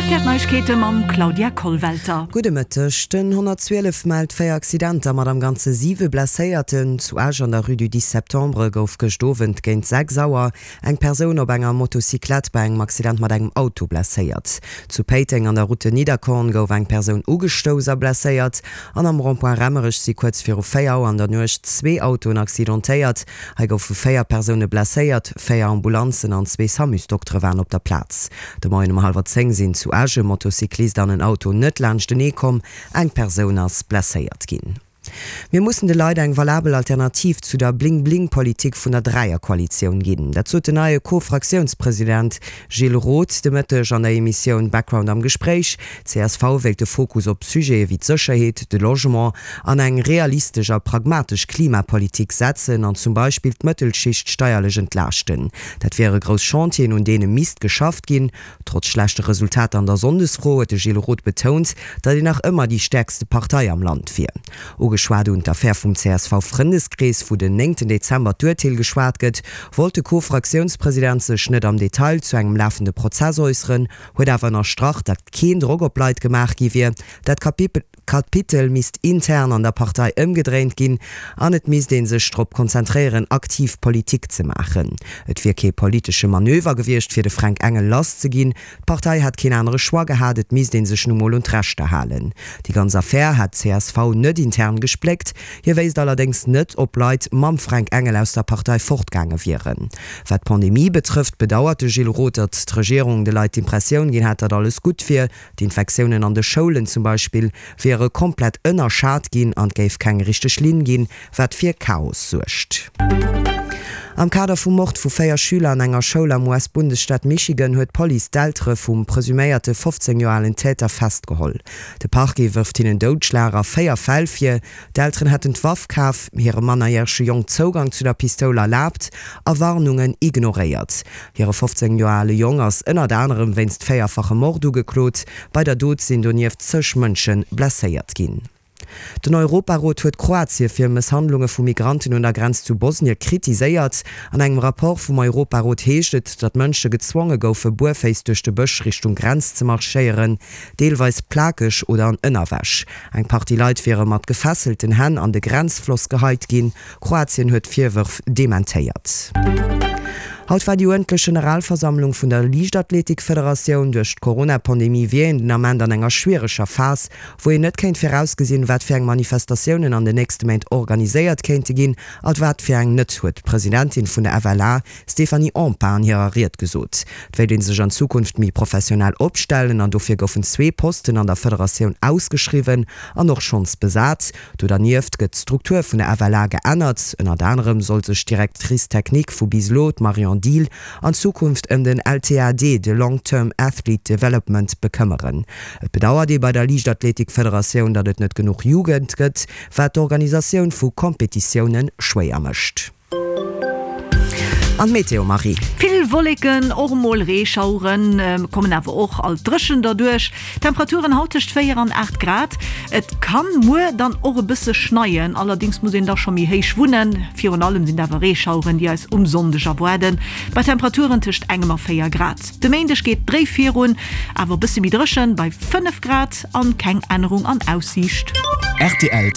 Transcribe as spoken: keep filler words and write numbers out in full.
R T L Neiegkeete mam Claudia Kollwelter. Gudde Mëtteg. Den honnertzwielef mellt véier Accidenter mat am Ganze siwe Blesséierten. Zu Esch an der Rue du dix septembre gouf gëscht Owend géint sechs Auer eng Persoun op enger Motocyclette bei engem Accident mat engem Auto blesséiert. Zu Péiteng an der Route de Nidderkorn gouf eng Persoun ugestouss a blesséiert. An am Rond-point Raemerech si kuerz viru véier Auer an der Nuecht zwee Autoen accidentéiert. Hei goufe véier Persoune blesséiert, véier Ambulanzen an zwee Samusdoktere waren op der Plaz. De Moien um hallwer zéng sinn zu Esch e Motocyclist an en Auto net laanschtenee komm, eng Persoun ass blesséiert ginn. Mir mussen de Leit eng valabel Alternativ zu der Bling-Bling-Politik vun der Dräierkoalitioun ginn. Dat sot den neie Co-Fraktiounspresident Gilles Roth de Mëtteg an der Emissioun Background am Gespréich. Csv wéilt de Fokus op Sujete wéi d'Sécherheet, de Logement an eng realistesch a pragmatesch Klimapolitik setzen an zum Beispill d'Mëttelschicht steierlech entlaaschten. Dat wiere grouss Chantieren, un deene misst geschafft ginn. Trotz schlechte Resultater an der Sonndesfro huet de Gilles Roth betount, datt een nach ëmmer déi stäerkste Partei am Land wier. Ugeschwat un d'Affär vum C S V-Frëndeskrees, wou den néngten Dezember d'Urteel geschwat gëtt, wollt de Co-Fraktiounspresident sech net am Detail zu engem lafende Prozess äusseren, huet awer ënnerstrach, datt keen Drock op Leit gemaach gi wier. Dat Kapitel misst intern an der Partei ëmgedréint ginn an et misst ee sech drop konzentréieren, aktiv Politik ze maachen. Et wier kee politesche Manöver gewiescht, fir de Fränk Engel lass ze ginn. D'Partei hätt keen anere Choix gehat, et misst ee sech nu mol un d'Rechter halen. Déi ganz Affär hätt d'C S V net intern gespléckt. Hie wéisst allerdéngs net, ob Leit mam Fränk Engel aus der Partei fortgaange wieren. Wat d'Pandemie betrëfft, bedauert de Gilles Roth, datt d'Regierung de Leit d'Impressioun ginn hätt, datt alles gutt wier. D'Infektiounen an de Schoulen zum Beispill wiere komplett ënnerschat ginn an et géif keng richteg Linn ginn, wat fir Chaos suergt. Am Kader vum Mord vu véier Schüler an enger Schoul am U S-Bundesstaat Michigan huet d'Police d'Eltere vum presuméierte fofzéng Joer alen Täter festgeholl. De Parquet wërft hinnen Doudschlag a véier Fäll vir. D'Elteren hätten d'Waff kaf, hirem mannerjärege Jong Zougang zu der Pistoul erlaabt a Warnungen ignoréiert. Hire fofzéng Joer ale Jong ass ënnert anerem wéinst véierfachem Mord ugeklot. Bei der Dot sinn donieft zeg Mënsche blesséiert ginn. Den Europarot huet Kroatie fir Mësshandlunge vu Migranten un der Grenz zu Bosnie kritiséiert. An engem Rapport vum Europarot heescht et, datt Mënsche gezwonge goufe buerféiss duerch de Bësch Richtung Grenz ze marschéieren, deelweis plakeg oder an Ënnerwäsch. Eng Partie Leit wiere mat gefesselten Hänn an de Grenzfloss geheit ginn. Kroatien huet d'Virwërf dementéiert. Haut war déi uerdentlech Generalversammlung vun der Liichtathletikfederatioun. Duerch d'Corona-Pandemie wier een den Ament an enger schwiereger Phas, wou een net kéint virausgesinn, wat fir eng Manifestatiounen an den nächste Méint organiséiert kéinte ginn a wat fir eng net, huet d'Presidentin vun der F L A, Stéphanie Empain, an hirer Ried gesot. Et wéilt ee sech an Zukunft méi professionell opstellen an dofir goufen zwee Posten an der Federatioun ausgeschriwwen an och schonns besat. Do dernieft gëtt d'Struktur vun der F L A geännert. Ënnert anerem soll sech d'Directrice technique vu bis elo, d'Marion Diehl, an Zukunft ëm den L T A D, de Long Term Athlete Development, bekëmmeren. Et bedauert ee bei der Liichtathletikfederatioun, datt et net genuch Jugend gëtt, wat d'Organisatioun vu Kompetitioune schwéier mécht. An d'Meteo, Marie. Vill Wolleken, och emol Reeschaueren, kommen awer och alt dréchen derduerch. Temperaturen haut tëscht véier an aacht Grad. Et kann muer dann och e bësse schneien, allerdéngs muss een da scho méi héich wunnen. Virun allem sinn et awer Reeschaueren, déi eis um Sonndeg erwaarden, bei Temperaturen tëscht engem a véier Grad. De Méindeg geet dréif virun, awer e bësse méi dréchen, bei fënnef Grad an keng Ännerung an Aussiicht. R T L.